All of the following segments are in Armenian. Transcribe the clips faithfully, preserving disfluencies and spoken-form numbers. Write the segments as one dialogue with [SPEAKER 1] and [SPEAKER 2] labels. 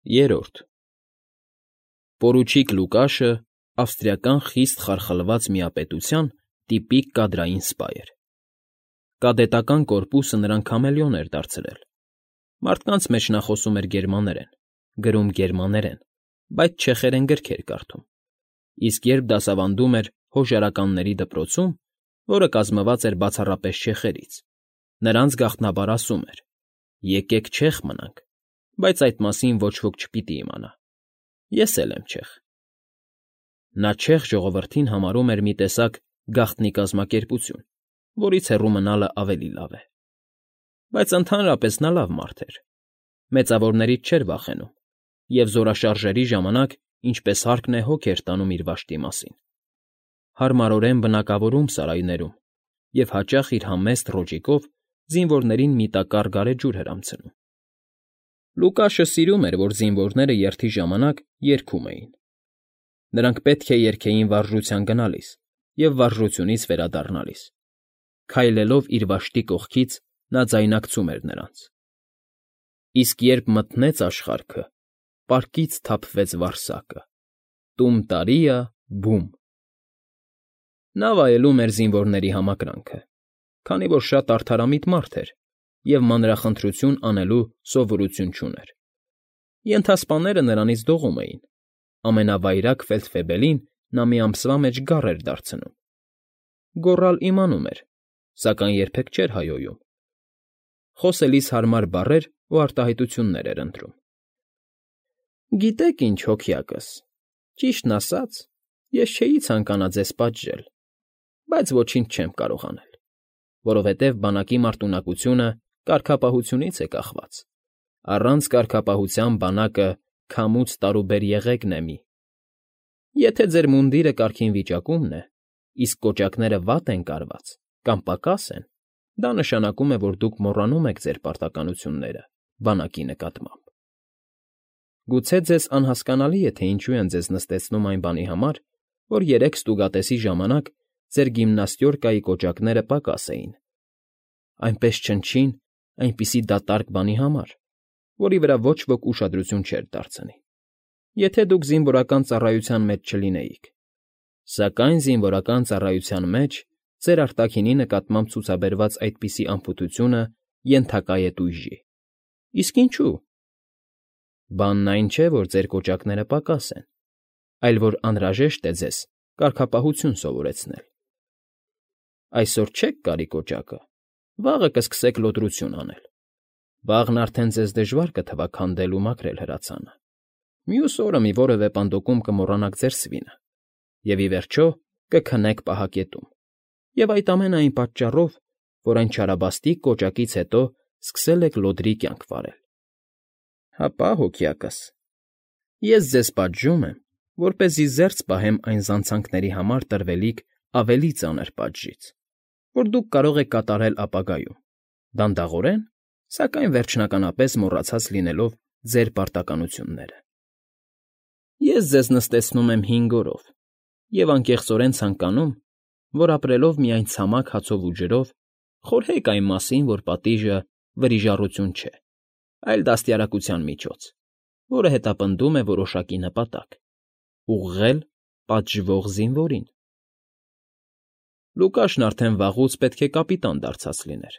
[SPEAKER 1] Երրորդ Պորուչիկ Լուկաշը ավստրիական խիստ խարխլված միապետության տիպիկ կադրային սպա էր. կադետական կորպուսը նրան քամելիոն էր դարձրել, մարդկանց մեջ նա խոսում էր գերմաներեն, գրում գերմաներեն, բայց չեխերեն գրքեր կարդում, իսկ երբ դասավանդում էր հոժարականների դպրոցում, որը կազմված էր բացառապես չեխերից, նրանց գաղտնաբար ասում էր. «Եկեք չեխ մնանք», բայց այդ մասին ոչ ոք չպիտի իմանա. ես էլ եմ չեխ։ Նա չեխ ժողովրդին համարում էր մի տեսակ գաղտնի կազմակերպություն, որից հեռու մնալը ավելի լավ է։ Բայց ընդհանրապես նա լավ մարդ էր, մեծավորներից չէր վախենում և զորաշարժերի ժամանակ, ինչպես հարկն է, հոգ էր տանում իր վաշտի մասին, հարմարորեն բնակավորում սարայներում և հաճախ իր համեստ ռոճիկով զինվորներին մի տակառ գարեջուր էր անցնում։ Լուկաշը սիրում էր, որ զինվորները երթի ժամանակ երգում էին։ Նրանք պետք է երգեին վարժության գնալիս և վարժությունից վերադառնալիս։ Քայլելով իր վաշտի կողքից՝ նա ձայնարկում էր նրանց. Իսկ երբ մթնեց աշխարհքը, պարկից թափվեց վարսակը, տում տարիա բում… Նա վայելում էր զինվորների համակրանքը, քանի որ շատ արդարամիտ մարդ էր և մանրախնդրություն անելու սովորություն չուներ։ Ենթասպաները նրանից դողում էին, ամենավայրագ ֆելդֆեբելին նա մի ամսվա մեջ գառ էր դարձնում։ Գոռալ իմանում էր, սակայն երբեք չէր հայհոյում, խոսելիս հարմար բառեր ու արտահայտություններ էր ընտրում։ «Գիտեք ինչ, հոքյակս, ճիշտն ասած, ես չէի ցանկանա ձեզ պատժել, բայց ոչինչ չեմ կարող անել, որովհետև բանակի մարտունակությունը կարգապահությունից է կախված, առանց կարգապահության բանակը քամուց տարուբեր եղեգն է մի… Եթե ձեր մունդիրը կարգին վիճակումն է, իսկ կոճակները վատ են կարված կամ պակաս են, դա նշանակում է, որ դուք մոռանում եք ձեր պարտականությունները բանակի նկատմամբ։ Գուցե ձեզ անհասկանալի է, թե ինչու են ձեզ նստեցնում այն բանի համար, որ երեկ ստուգատեսի ժամանակ ձեր գիմնաստյորկայի կոճակները պակաս էին, այնպես չնչին, այնպիսի դատարկ բանի համար, որի վրա ոչ ոք ուշադրություն չէր դարձնի, եթե դուք զինվորական ծառայության մեջ չլինեիք, սակայն զինվորական ծառայության մեջ ձեր արտաքինի նկատմամբ ցուցաբերված այդպիսի անփութությունը ենթակա է տույժի։ Իսկ ինչու՞։ Բանն այն չէ, որ ձեր կոճակները պակաս են, այլ որ անհրաժեշտ է ձեզ կարգապահություն սովորեցնել։ Այսօր չեք կարի կոճակը, վաղը կսկսեք լոտրություն անել, վաղն արդեն ձեզ դժվար կթվա քանդել ու մաքրել հրացանը, մյուս օրը մի որևէ պանդոկում կմոռանաք ձեր սվինը և, ի վերջո, կքնեք պահակետում, և այդ ամենը այն պատճառով, որ այն չարաբաստիկ կոճակից հետո սկսել եք լոդրի կյանք վարել։ Հապա, հոքյակս, ես ձեզ պատժում եմ, որպեսզի զերծ պահեմ այն զանցանքների համար տրվելիք ավելի ծանր պատժից, որ դուք կարող եք կատարել ապագայում, դանդաղորեն, սակայն վերջնականապես մոռացած լինելով ձեր պարտականությունները։ Ես ձեզ նստեցնում եմ հինգ օրով և անկեղծորեն ցանկանում, որ ապրելով միայն ցամաք հացով ու ջրով խորհեք այն մասին, որ պատիժը վրիժառություն չէ, այլ դաստիարակության միջոց, որը հետապնդում է որոշակի նպատակ՝ ուղղել պատժվող զինվորին։ Լուկաշն արդեն վաղուց պետք է կապիտան դարձած լիներ,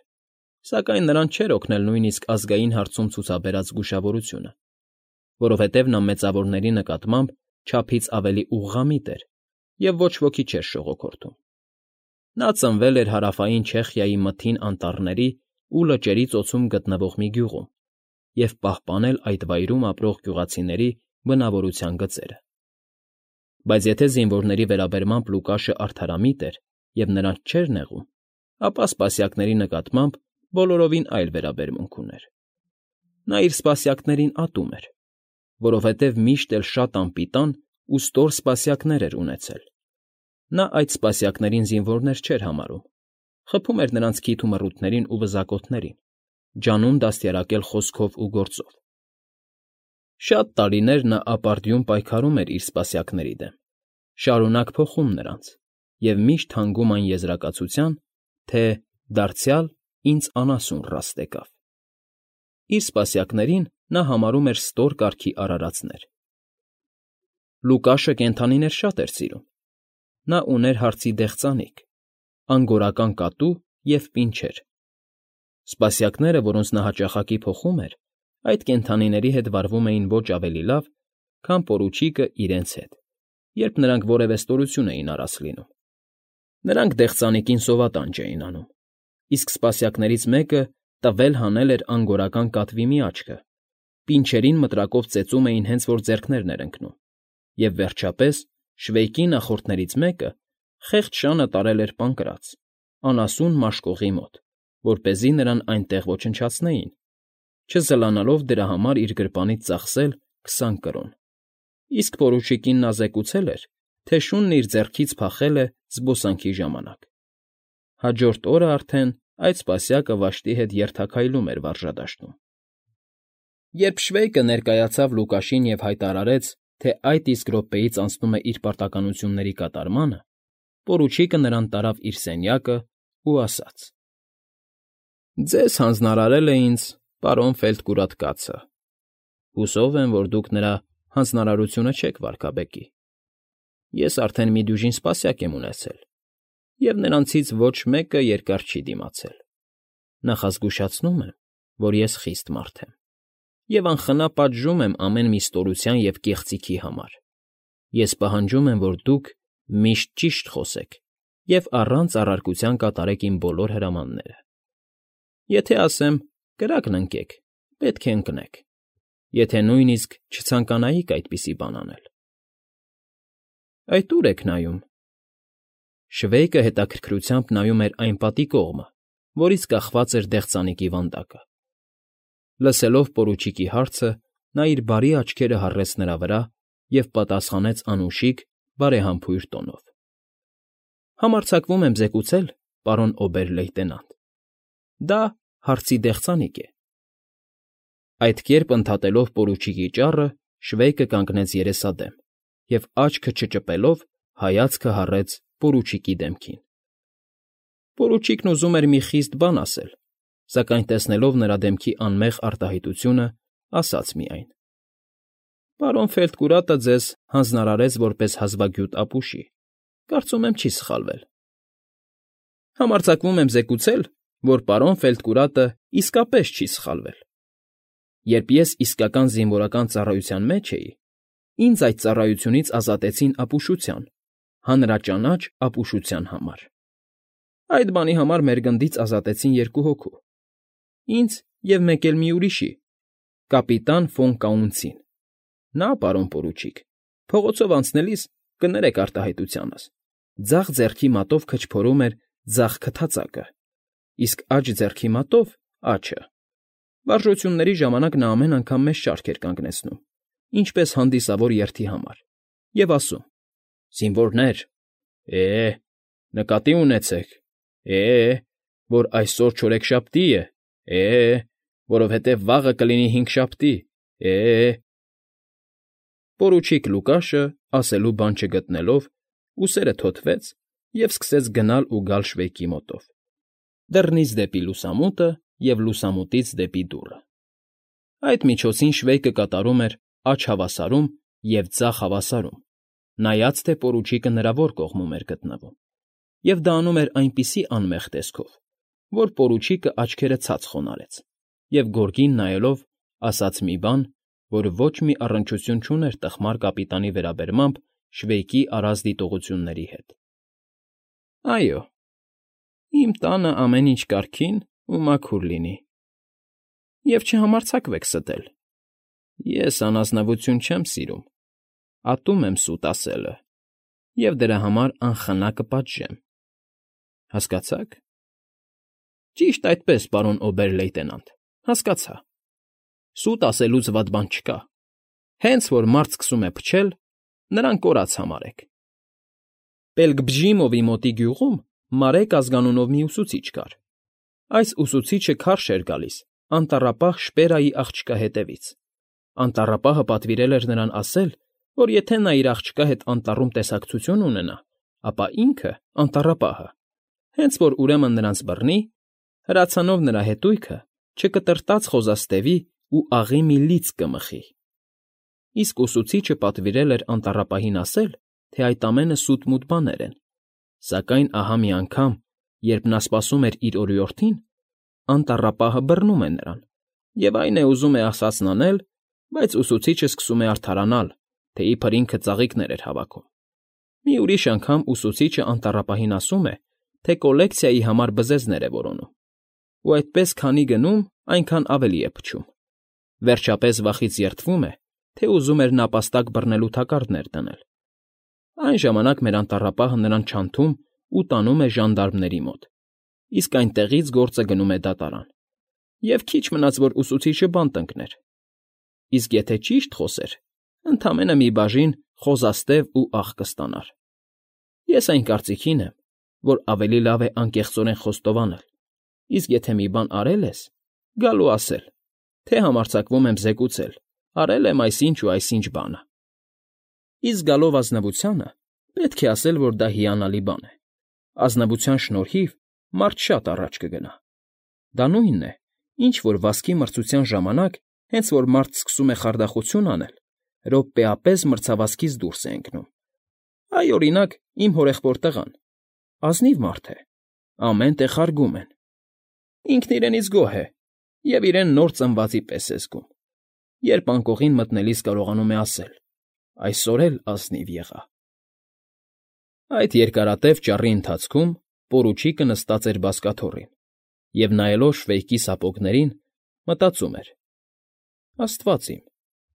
[SPEAKER 1] սակայն նրան չէր օգնել նույնիսկ ազգային հարցում ցուցաբերած զգուշավորությունը, որովհետև նա մեծավորների նկատմամբ չափից ավելի ուղղամիտ էր և ոչ ոքի չէր շողոքորթում։ Նա ծնվել էր Հարավային Չեխիայի մթին անտառների ու լճերի ծոցում գտնվող մի գյուղում և պահպանել այդ վայրում ապրող գյուղացիների բնավորության գծերը։ Բայց եթե զինվորների վերաբերմամբ Լուկաշը արդարամիտ էր և նրանց չէր նեղում, ապա սպասյակների նկատմամբ բոլորովին այլ վերաբերմունք ուներ։ Նա իր սպասյակներին ատում էր, որովհետև միշտ էլ շատ անպիտան ու ստոր սպասյակներ էր ունեցել։ Նա այդ սպասյակներին զինվորներ չէր համարում, խփում էր նրանց քիթ ու մռութներին ու վզակոթներին, ջանում դաստիարակել խոսքով ու գործով։ Շատ տարիներ նա ապարդյուն պայքարում էր իր սպասյակների դեմ, շարունակ փոխում նրանց և միշտ հանգում այն եզրակացության, թե «դարձյալ ինձ անասուն ռաստ եկավ»։ Իր սպասյակներին նա համարում էր ստոր կարգի արարածներ։ Լուկաշը կենդանիներ շատ էր սիրում։ Նա ուներ հարծի դեղձանիկ, անգորական կատու և պինչեր։ Սպասյակները, որոնց նա հաճախակի փոխում էր, այդ կենդանիների հետ վարվում էին ոչ ավելի լավ, քան պորուչիկը իրենց հետ, երբ նրանք որևէ ստորություն էին արած լինում։ Նրանք դեղձանիկին սովատանջ էին անում, իսկ սպասյակներից մեկը տվել հանել էր անգորական կատվի մի աչքը, պինչերին մտրակով ծեծում էին հենց որ ձեռքներն էր ընկնում, և, վերջապես, շվեյկի նախորդներից մեկը խեղճ շանը տարել էր Պանկրաց, անասուն մաշկողի մոտ, որպեսզի նրան այնտեղ ոչնչացնեին, չզլանալով դրա համար իր գրպանից ծախսել քսան կրոն, իսկ պորուչիկին նա զեկուցել էր, թե շունն իր ձեռքից փախել է զբոսանքի ժամանակ։ Հաջորդ օրը արդեն այդ սպասյակը վշտի հետ երթաքայլում էր վարժադաշտում։ Երբ շվեյկը ներկայացավ Լուկաշին և հայտարարեց, թե այդ իսկ րոպեից անցնում է իր պարտականությունների կատարմանը, պորուչիկը նրան տարավ իր սենյակը ու ասաց. «Ձեզ հանձնարարել է ինձ պարոն Ֆելտկուրատ կացը։ Հուսով եմ, որ դուք նրա հանձնարարությունը չեք վարկաբեկի։ Ես արդեն մի դյուժին սպասյակ եմ ունեցել, և նրանցից ոչ մեկը երկար չի դիմացել։ Նախազգուշացնում եմ, որ ես խիստ մարդ եմ, և անխնա պատժում եմ ամեն մի ստորության և կեղծիքի համար։ Ես պահանջում եմ, որ դուք միշտ ճիշտ խոսեք և առանց առարկության կատարեք իմ բոլոր հրամանները։ Եթե ասեմ կրակն ընկեք, պետք է ընկնեք, եթե նույնիսկ չցանկանայիք այդպիսի բան անել»։ «Այդ ո՞ւր եք նայում»։ Շվեյկը հետաքրքրությամբ նայում էր այն պատի կողմը, որից կախված էր դեղձանիկի վանդակը։ Լսելով պորուչիկի հարցը, նա իր բարի աչքերը հառեց նրա վրա և պատասխանեց անուշիկ, բարեհամբույր տոնով. «Համարձակվում եմ զեկուցել, պարոն օբեր֊լեյտենանտ, դա հարծի դեղձանիկ է»։ Այդ կերպ ընդհատելով պորուչիկի ճառը, Շվեյկը կանգնեց երեսադեմ և, աչքը չճպելով, հայացքը հառեց պորուչիկի դեմքին։ Պորուչիկն ուզում էր մի խիստ բան ասել, սակայն տեսնելով նրա դեմքի անմեղ արտահայտությունը, ասաց միայն. «Պարոն Ֆելտկուրատը ձեզ հանձնարարեց որպես հազվագյուտ ապուշի, կարծում եմ չի սխալվել»։ «Համարձակվում եմ զեկուցել, որ պարոն Ֆելտկուրատը իսկապես չի սխալվել։ Երբ ես իսկական զինվորական ծառայության մեջ էի, ինձ այդ ծառայությունից ազատեցին ապուշության, հանրաճանաչ ապուշության համար։ Այդ բանի համար մեր գնդից ազատեցին երկու հոգու՝ ինձ և մեկ էլ մի ուրիշի՝ կապիտան Ֆոն Կաունցին։ Նա, պարոն պորուչիկ, փողոցով անցնելիս, կներեք արտահայտությանս, ձախ ձեռքի մատով քչփորում էր ձախ քթածակը, իսկ աջ ձեռքի մատով՝ աջը։ Վարժությունների ժամանակ նա ամեն անգամ մեզ շարք էր կանգնեցնում, ինչպես հանդիսավոր երթի համար, և ասում. «Զինվորներ, է՜, նկատի ունեցեք, է՜, որ այսօր չորեքշաբթի է, է՜, որովհետև վաղը կլինի հինգշաբթի, է՜»։ Պորուչիկ Լուկաշը, ասելու բան չգտնելով, ուսերը թոթվեց և սկսեց գնալ ու գալ Շվեյկի մոտով, դռնից դեպի լուսամուտը և լուսամուտից դեպի դուռը։ Այդ միջոցին Շվեյկը կատարում էր աջ հավասարում և ձախ հավասարում, նայած թե պորուչիկը նրա որ կողմում էր գտնվում, և դա անում էր այնպիսի անմեղ տեսքով, որ պորուչիկը աչքերը ցած խոնարհեց և, գորգին նայելով, ասաց մի բան, որ ոչ մի առնչություն չուներ տխմար կապիտանի վերաբերմամբ Շվեյկի առած դիտողությունների հետ։ «Այո, իմ տանը ամեն ինչ կարգին ու մաքուր լինի, և չհամարձակվեք ստել։ Ես անազնվություն չեմ սիրում, ատում եմ սուտ ասելը և դրա համար անխնա կպատժեմ։ Հասկացա՞ք»։ «Ճիշտ այդպես, պարոն օբեր֊լեյտենանտ, հասկացա։ Սուտ ասելուց վատ բան չկա։ Հենց որ մարդ սկսում է փչել, նրան կորած համարեք։ Պելգբժիմովի մոտի գյուղում Մարեկ ազգանունով մի ուսուցիչ կար։ Այս ուսուցիչը քարշ էր գալիս անտառապահ Շպերայի աղջկա հետևից։ Անտառապահը պատվիրել էր նրան ասել, որ եթե նա իր աղջկա հետ անտառում տեսակցություն ունենա, ապա ինքը՝ անտառապահը, հենց որ ուրեմն նրանց բռնի, հրացանով նրա հետույքը չկտրտած խոզաստևի ու աղի մի լիցք կմխի։ Իսկ ուսուցիչը պատվիրել էր անտառապահին ասել, թե այդ ամենը սուտ֊մուտ բաներ են, սակայն ահա մի անգամ, երբ նա սպասում էր իր օրիորդին, անտառապահը բռնում է նրան, և այն է ուզում է ասածն անել, բայց ուսուցիչը սկսում է արդարանալ, թե իբր ինքը ծաղիկներ էր հավաքում։ Մի ուրիշ անգամ ուսուցիչը անտառապահին ասում է, թե կոլեկցիայի համար բզեզներ է որոնում, ու այդպես քանի գնում, այնքան ավելի է փչում։ Վերջապես վախից երդվում է, թե ուզում էր նապաստակ բռնելու թակարդներ դնել։ Այն ժամանակ մեր անտառապահը նրան չանթում ու տանում է ժանդարմների մոտ, իսկ այնտեղից գործը գնում է դատարան, և քիչ մնաց, որ ուսուցիչը բանտ ընկներ։ Իսկ եթե ճիշտ խոսեր, ընդամենը մի բաժին խոզաստև ու աղ կստանար։ Ես այն կարծիքին եմ, որ ավելի լավ է անկեղծորեն խոստովանել, իսկ եթե մի բան արել ես, գալ ու ասել, թե համարձակվում եմ զեկուցել, արել եմ այսինչ ու այսինչ բանը։ Իսկ գալով ազնվությանը, պետք է ասել, որ դա հիանալի բան է։ Ազնվության շնորհիվ մարդ շատ առաջ կգնա։ Դա նույնն է, ինչ որ վազքի մրցության ժամանակ, հենց որ մարդ սկսում է խարդախություն անել, րոպեապես մրցավազքից դուրս է ընկնում։ Այ, օրինակ, իմ հորեղբոր տղան, ազնիվ մարդ է, ամեն տեղ հարգում են։ Ինքն իրենից գոհ է և իրեն նոր ծնվածի պես է զգում։ Երբ անկողին մտնելիս կարողանում է ասել. «Այսօր էլ ազնիվ եղա»։ Այդ երկարատև ճառի ընթացքում պորուչիկը նստած էր բազկաթոռին և, նայելով Շվեյկի սապոգներին, մտածում էր. «Աստված իմ,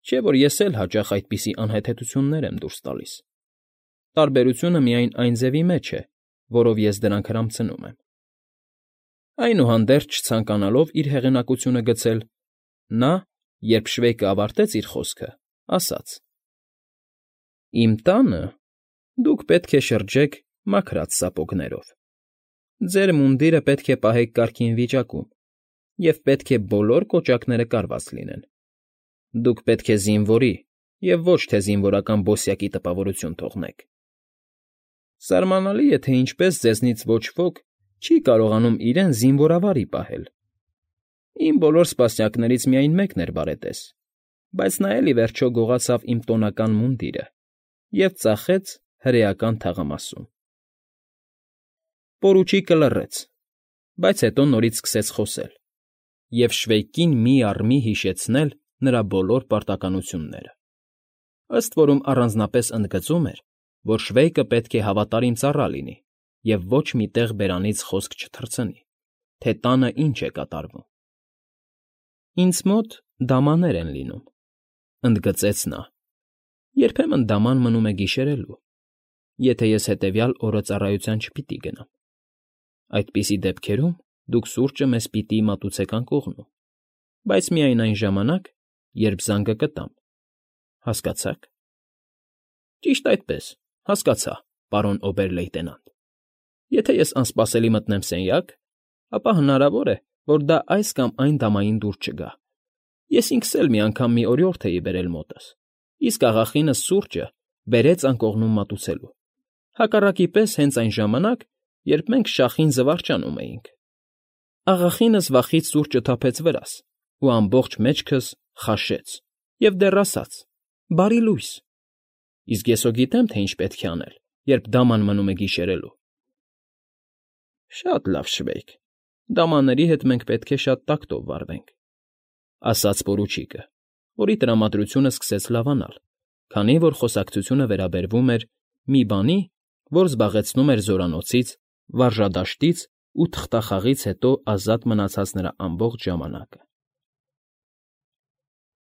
[SPEAKER 1] չէ՞ որ ես էլ հաճախ այդպիսի անհեթեթություններ եմ դուրս տալիս։ Տարբերությունը միայն այն ձևի մեջ է, որով ես դրանք հրամցնում եմ»։ Այնուհանդերձ, չցանկանալով իր հեղինակությունը գցել, նա, երբ Շվեյկը ավարտեց իր խոսքը, ասաց. «Իմ տանը դուք պետք է շրջեք մաքրած սապոգներով, ձեր մունդիրը պետք է պահեք կարգին վիճակում և պետք է բոլոր կոճակները կարված լինեն։ Դուք պետք է զինվորի և ոչ թե զինվորական բոսյակի տպավորություն թողնեք։ Սարմանալի է, թե ինչպես ձեզնից ոչ ոք չի կարողանում իրեն զինվորավարի պահել։ Իմ բոլոր սպասյակներից միայն մեկն էր բարետես, բայց նա էլ ի վերջո գողացավ իմ տոնական մունդիրը և ծախեց հրեական թաղամասում»։ Պորուչիկը լռեց, բայց հետո նորից սկսեց խոսել և Շվեյկին մի առ մի հիշեցնել նրա բոլոր պարտականությունները։ Ըստ որում առանձնապես ընդգծում էր, որ Շվեյկը պետք է հավատարիմ ծառա լինի և ոչ մի տեղ բերանից խոսք չթռցնի, թե տանը ինչ է կատարվում։ «Ինձ մոտ դամաներ են լինում», ֊ ընդգծեց նա։ «Երբեմն դաման մնում է գիշերելու, եթե ես հետևյալ օրը ծառայության չպիտի գնամ։ Այդպիսի դեպքերում դուք սուրճը մեզ պիտի մատուցեք անկողնում, բայց միայն այն ժամանակ, երբ զանգը կտամ։ Հասկացա՞ք»։ «Ճիշտ այդպես, հասկացա, պարոն օբեր֊լեյտենանտ։ Եթե ես անսպասելի մտնեմ սենյակ, ապա հնարավոր է, որ դա այս կամ այն դամային դուր չգա։ Ես ինքս էլ մի անգամ մի օրիորդ էի բերել մոտս, իսկ աղախինս սուրճը բերեց անկողնում մատուցելու, հակառակի պես հենց այն ժամանակ, երբ մենք շախին զվարճանում էինք։ Աղախինս վախից սուրճը թափեց վրաս ու ամբողջ մեջքս խաշեց և դեռ ասաց. «Բարի լույս»։ Իսկ ես հո գիտեմ, թե ինչ պետք է անել, երբ դաման մնում է գիշերելու»։ «Շատ լավ, Շվեյկ, դամաների հետ մենք պետք է շատ տակտով վարվենք», ֊ ասաց պորուչիկը, որի տրամադրությունը սկսեց լավանալ, քանի որ խոսակցությունը վերաբերվում էր մի բանի, որ զբաղեցնում էր զորանոցից, վարժադաշտից ու թղթախաղից հետո ազատ մնացած նրա ամբողջ ժամանակը։